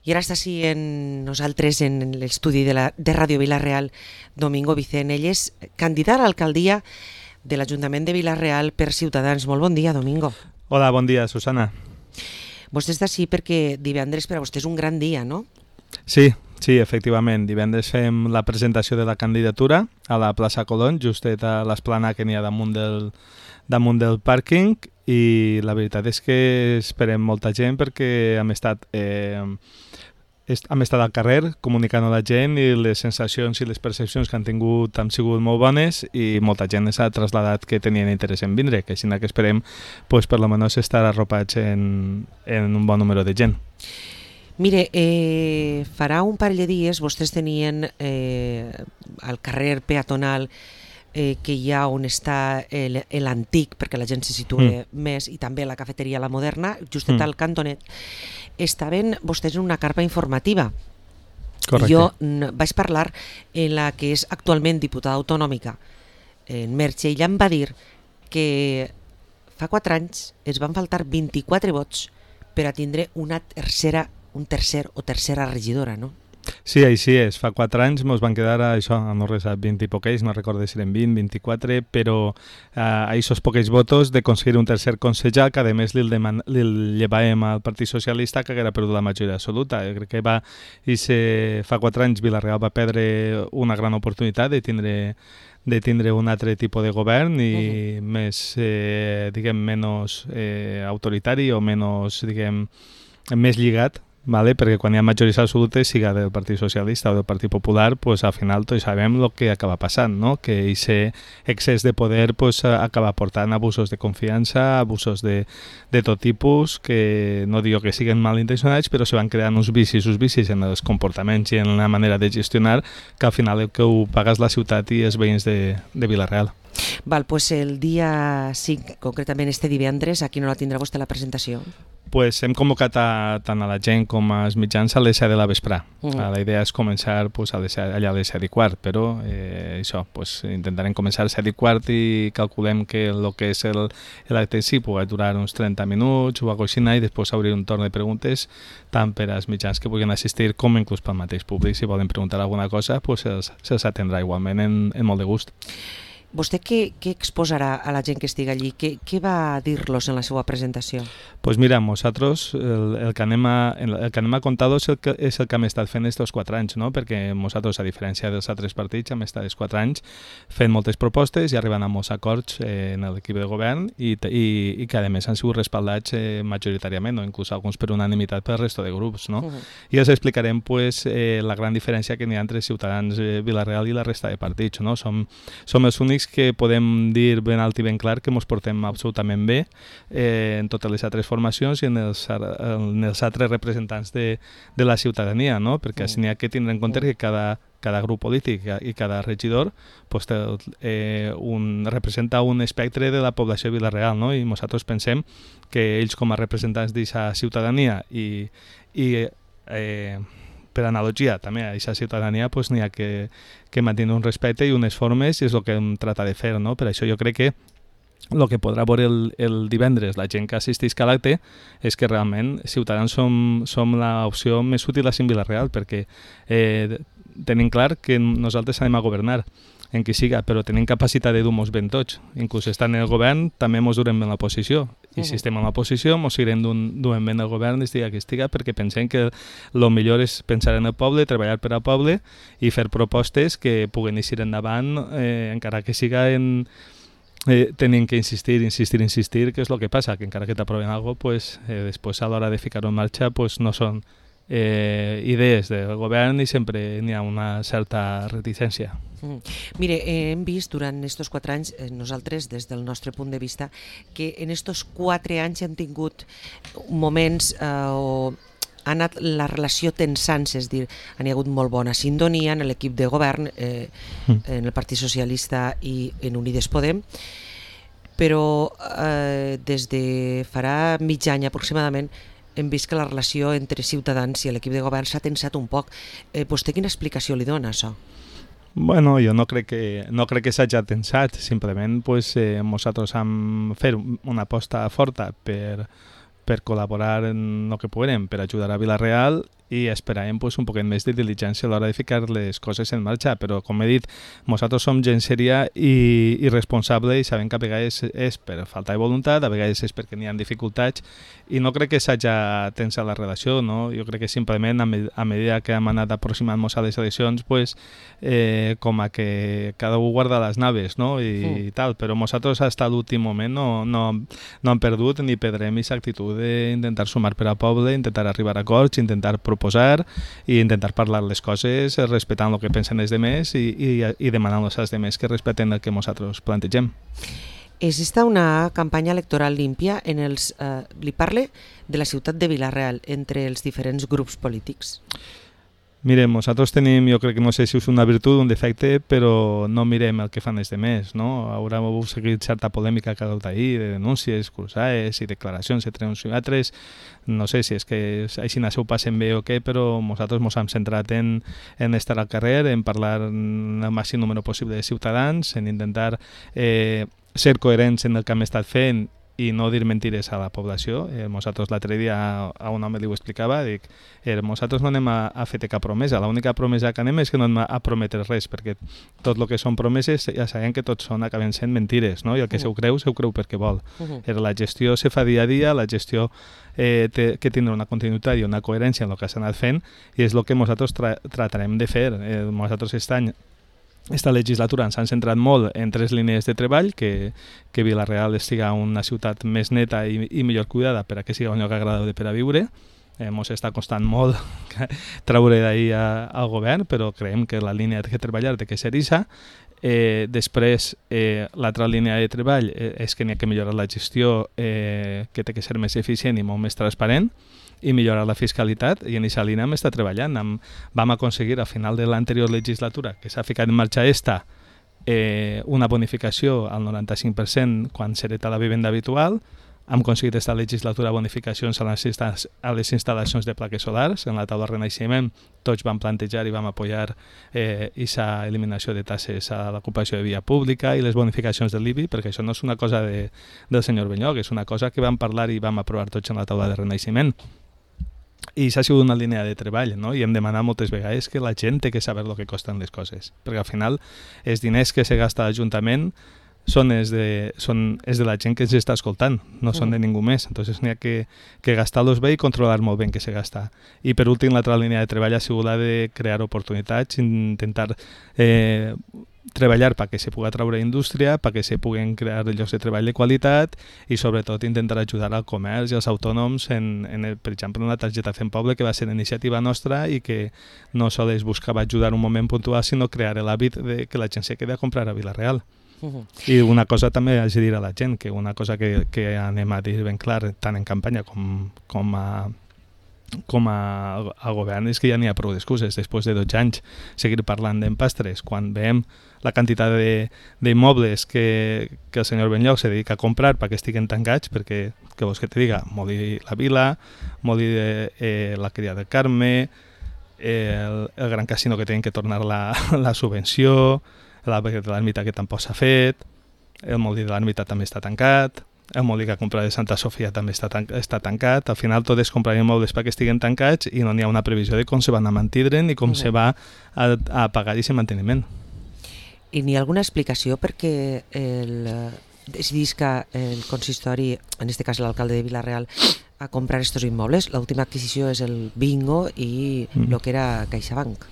I ara està així en nosaltres en l'estudi de Ràdio Vila-real Domingo Vicent. Ell és candidat a l'alcaldia de l'Ajuntament de Vila-real per Ciutadans. Molt bon dia, Domingo. Hola, bon dia, Susana. Vostè està així perquè divendres per a vostè és un gran dia, no? Sí, efectivament. Divendres fem la presentació de la candidatura a la plaça Colón, justet a l'esplanada que n'hi ha damunt del pàrquing, i la veritat és que esperem molta gent perquè hem estat al carrer comunicant a la gent i les sensacions i les percepcions que han tingut han sigut molt bones i molta gent s'ha traslladat que tenien interès en vindre, que així que esperem pues, per almenys estar arropats en un bon número de gent. Mire, farà un parell de dies vostès tenien al carrer peatonal que hi ha on està l'antic, perquè la gent se situa més, i també la cafeteria La Moderna, justet al cantonet, estaven vostès en una carpa informativa. Correcte. Jo vaig parlar en la que és actualment diputada autonòmica, en Merche, i ella em va dir que fa 4 anys es van faltar 24 vots per a tindre un tercer o tercera regidora, no? Sí, així és. Fa 4 anys ens van quedar això, no res, a 20 i poquets, no recordo si eren 20, 24, però a aquests poquets votos de aconseguir un tercer conseller, que a més li llevàvem al Partit Socialista, que haguera perdut la majoria absoluta. Jo crec que fa 4 anys Vila-real va perdre una gran oportunitat de tindre un altre tipus de govern i més, menys autoritari o més lligat, vale? Perquè quan hi ha majories absolutes, siga del Partit Socialista o del Partit Popular, pues, al final tots sabem el que acaba passant, no? Que aquest excés de poder pues, acaba portant abusos de confiança, abusos de tot tipus, que no digo que siguin malintencionats, però se van creant uns vicis en els comportaments i en la manera de gestionar, que al final el que ho paga és la ciutat i els veïns de Vila-real. Val, pues el dia 5, concretament este divendres, a quina hora tindrà vostè la presentació? Pues hem convocat tant a la gent com als mitjans a les 7 de la vesprà. La idea és començar pues, allà a les 7 i quart, però intentarem començar a les 7 i quart i calculem que el que és l'acte en si pugui durar uns 30 minuts o alguna cosa així, i després obrir un torn de preguntes tant per als mitjans que puguin assistir com inclús pel mateix públic. Si volen preguntar alguna cosa, pues, se'ls atendrà igualment en molt de gust. Vostè què exposarà a la gent que estigui allí? Què va dir-los en la seva presentació? Pues mira, nosaltres el que anem a contar és el que hem estat fent aquests 4 anys, no? Perquè nosaltres, a diferència dels altres partits, hem estat 4 anys fent moltes propostes i arribant a molts acords en l'equip de govern i que a més han sigut respaldats majoritàriament, o inclús alguns per unanimitat pel resto de grups, no? I els explicarem pues, la gran diferència que n'hi ha entre Ciutadans, Vila-real i la resta de partits, no? Som els únics que podem dir ben alt i ben clar que ens portem absolutament bé en totes les altres formacions i en els altres representants de la ciutadania, no? Perquè així n'hi ha que tindre en compte que cada grup polític i cada regidor pues, representa un espectre de la població de Vila-real, no? I nosaltres pensem que ells com a representants d'aquesta ciutadania i per analogia també a aquesta ciutadania pues, n'hi ha que mantenir un respecte i unes formes i és el que hem tratat de fer, no? Per això jo crec que el que podrà veure el divendres la gent que assisteix a l'acte és que realment Ciutadans som l'opció més útil a Vila-real, perquè tenim clar que nosaltres anem a governar en qui siga, però tenim capacitat de dur-nos ben tots. Inclús estant en el govern també ens durem ben l'oposició. I si estem en l'oposició ens seguirem duent ben el govern estiga que estiga, perquè pensem que el millor és pensar en el poble, treballar per al poble i fer propostes que puguen eixir endavant encara que siga tenim que insistir, que és el que passa, que encara que t'aproven alguna cosa, pues, després a l'hora de ficar-ho en marxa pues, no són idees del govern i sempre n'hi ha una certa reticència. Mire, hem vist durant aquests 4 anys, nosaltres des del nostre punt de vista, que en aquests 4 anys hem tingut moments on ha anat la relació tensant-se, és a dir, hi ha hagut molt bona sintonia en l'equip de govern, en el Partit Socialista i en Unides Podem, però des de farà mig any aproximadament hem vist que la relació entre Ciutadans i l'equip de govern s'ha tensat un poc. Vostè quina explicació li dona, això? Bueno, jo no crec que s'hagi tensat, simplement pues, nosaltres hem fet una aposta forta per col·laborar en el que puguem, per ajudar a Vila-real i esperàvem pues, un poquet més de diligència a l'hora de ficar les coses en marxa, però com he dit, nosaltres som gent seria i responsable i sabem que a vegades és per falta de voluntat, a vegades és perquè n'hi ha dificultats i no crec que s'hagi tensat la relació, no? Jo crec que simplement a medida que hem anat aproximant-nos a les eleccions pues, com a que cada un guarda les naves, no? I tal, però nosaltres fins a l'últim moment no hem perdut ni perdrem aquesta actitud d'intentar sumar per al poble, intentar arribar a acords, intentar proposar i intentar parlar les coses respectant el que pensen els demés i demanant als demés que respecten el que nosaltres plantegem. És esta una campanya electoral límpia en els... li parle de la ciutat de Vila-real entre els diferents grups polítics. Mire, nosaltres tenim, jo crec que no sé si és una virtut o un defecte, però no mirem el que fan els demés, no? Haurà seguit certa polèmica que ha hagut ahir, de denúncies, cruzades i declaracions entre uns i altres. No sé si és que així ho passen bé o què, però nosaltres ens hem centrat en estar al carrer, en parlar amb el màxim número possible de ciutadans, en intentar ser coherents en el que hem estat fent i no dir mentires a la població. Nosaltres l'altre dia a un home li ho explicava, dic, nosaltres no anem a fer cap promesa, l'única promesa que anem és que no anem a prometre res, perquè tot el que són promeses ja sabem que tots acaben sent mentires, no? I el que se ho creu perquè vol. La gestió se fa dia a dia, la gestió té que tindre una continuïtat i una coherència en el que s'ha anat fent i és el que nosaltres tratarem de fer. Nosaltres esta legislatura ens han centrat molt en 3 línies de treball, que Vila-real estigui una ciutat més neta i millor cuidada per a que sigui un lloc agradable per a viure. Ens està costant molt treure d'ahir al govern, però creiem que la línia que treballar té que ser aquesta. Després, l'altra línia de treball és que n'hi ha que millorar la gestió, que té que ser més eficient i molt més transparent, i millorar la fiscalitat, i en aquesta línia hem estat treballant. Vam aconseguir a final de l'anterior legislatura, que s'ha ficat en marxa una bonificació al 95% quan s'hereta la vivenda habitual. Hem aconseguit aquesta legislatura bonificacions a les instal·lacions de plaques solars. En la taula Renaixement tots vam plantejar i vam apoyar aquesta eliminació de taxes a l'ocupació de via pública i les bonificacions de l'IBI, perquè això no és una cosa del senyor Benlloc, és una cosa que vam parlar i vam aprovar tots en la taula de Renaixement. I s'ha sigut una línia de treball, no? I hem demanat moltes vegades que la gent té que saber el que costen les coses, perquè al final els diners que se gasta a l'Ajuntament són els de la gent que ens està escoltant, no són de ningú més. Entonces n'hi ha que gastar-los bé i controlar molt bé en què se gasta. I per últim, l'altra línia de treball ha sigut la de crear oportunitats, intentar treballar perquè se pugui treure indústria, perquè se puguen crear llocs de treball de qualitat i sobretot intentar ajudar al comerç i als autònoms per exemple, en la targeta Fem Poble, que va ser iniciativa nostra i que no sols buscava ajudar un moment puntual, sinó crear l'hàbit de que la gent se quedi a comprar a Vila-real. I una cosa també haig de dir a la gent, que una cosa que anem a dir ben clar, tant en campanya com a govern, és que ja n'hi ha prou d'excuses. Després de 12 anys seguir parlant d'empastres, quan veiem la quantitat d'immobles que el senyor Benlloc se dedica a comprar perquè estiguen tancats, perquè, què vols que te diga, Molí la Vila, Molí la Cria del Carme, el Gran Casino que tenen que tornar la subvenció, l'Alberg de l'Ermita que tampoc s'ha fet, el Molí de l'Ermita també està tancat, el Molí que ha comprat de Santa Sofia també està tancat. Al final tot és comprar immobles perquè estiguen tancats i no n'hi ha una previsió de com se van a mantindre ni com se va a pagar aquest manteniment. I n'hi ha alguna explicació perquè decidís que el consistori, en aquest cas l'alcalde de Vila-real, a comprar estos immobles? L'última adquisició és el Bingo i el que era CaixaBank.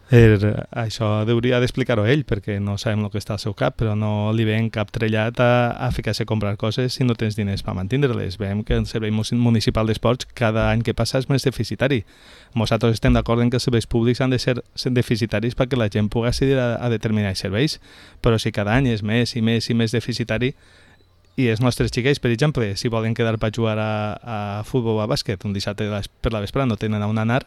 Això hauria d'explicar-ho ell, perquè no sabem el que està al seu cap, però no li ven cap trellat a ficar-se a comprar coses si no tens diners per mantindre-les. Veiem que el Servei Municipal d'Esports cada any que passa és més deficitari. Nosaltres estem d'acord en que els serveis públics han de ser deficitaris perquè la gent pugui accedir a determinats serveis, però si cada any és més i més i més deficitari, i els nostres xiquets, per exemple, si volen quedar per jugar a futbol o a bàsquet un dissabte per la vesprada no tenen on anar,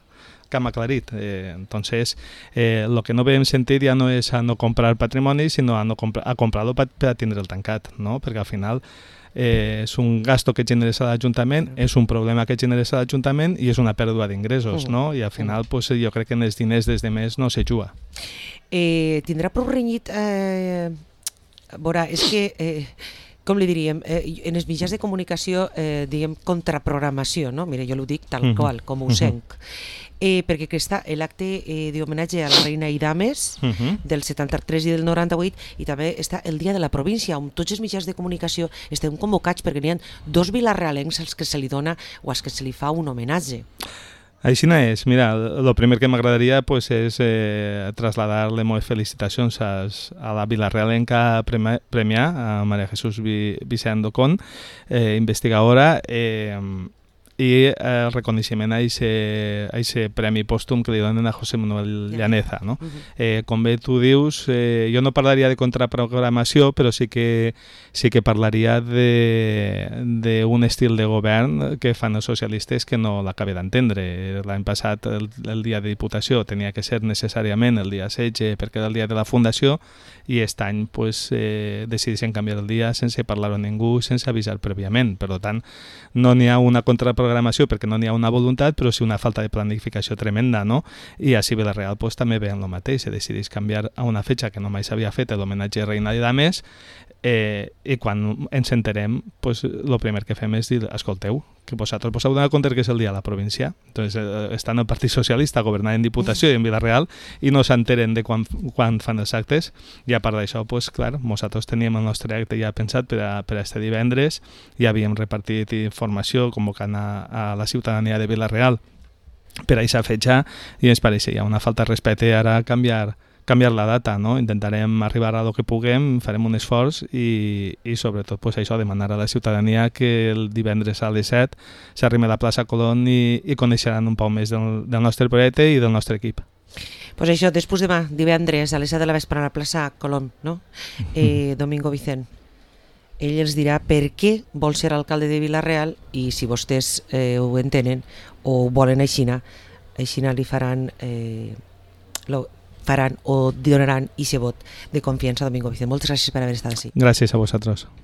que m'ha aclarit. Entonces, el que no veiem sentit ja no és a no comprar patrimoni, sinó a comprar-lo per a tindre'l tancat, no? Perquè al final és un gasto que generes a l'Ajuntament, és un problema que generes a l'Ajuntament i és una pèrdua d'ingressos, no? I al final pues, jo crec que en els diners des de més no se juga. Tindrà prou renyit... Veurà, és que... com li diríem, en els mitjans de comunicació diem contraprogramació, no? Mira, jo l'ho dic tal qual, com ho senc. Perquè està l'acte d'homenatge a la reina i dames del 73 i del 98, i també està el dia de la província, on tots els mitjans de comunicació estem convocats perquè n'hi ha 2 vilarealencs als que se li dona o als que se li fa un homenatge. Així és. Mira, el primer que m'agradaria pues, és traslladar les meves felicitacions a la vilarealenca Premià, a Maria Jesús Vicent Docón, investigadora, i el reconeixement a aquest premi pòstum que li donen a José Manuel Llaneza. No? Com bé tu dius, jo no parlaria de contraprogramació, però sí que parlaria d'un estil de govern que fan els socialistes que no l'acabé d'entendre. L'any passat el dia de Diputació tenia que ser necessàriament el dia 16 perquè era el dia de la Fundació, i aquest any pues, decideixen canviar el dia sense parlar a ningú, sense avisar prèviament. Per tant, no n'hi ha una contraprogramació perquè no n'hi ha una voluntat, però sí una falta de planificació tremenda, no? I a Vilareal pues, també veien el mateix, se decideix canviar a una fetxa que no mai s'havia fet l'homenatge a Reina i Dames, i quan ens enterem, pues, el primer que fem és dir, escolteu, que vosaltres vos heu donat compte que és el dia de la província. Entonces, estan el Partit Socialista governant en Diputació i en Vilareal i no s'enteren de quan fan els actes, i a part d'això, pues, clar, nosaltres teníem el nostre acte ja pensat per a este divendres, i havíem repartit informació convocant a la ciutadania de Vilareal per a aquesta fetxa, i ens pareixia una falta de respecte ara canviar la data, no? Intentarem arribar a lo que puguem, farem un esforç i sobretot pues, això, demanar a la ciutadania que el divendres a les 7 s'arrime a la plaça Colón i coneixeran un poc més del nostre projecte i del nostre equip. Pues això, després demà, divendres a les 7 de la vespre a la plaça Colón, no? Domingo Vicent. Ell els dirà per què vol ser alcalde de Vilareal, i si vostès ho entenen o ho volen aixina li faran o donaran aquest vot de confiança a Domingo Vicent. Moltes gràcies per haver estat així. Gràcies a vosaltres.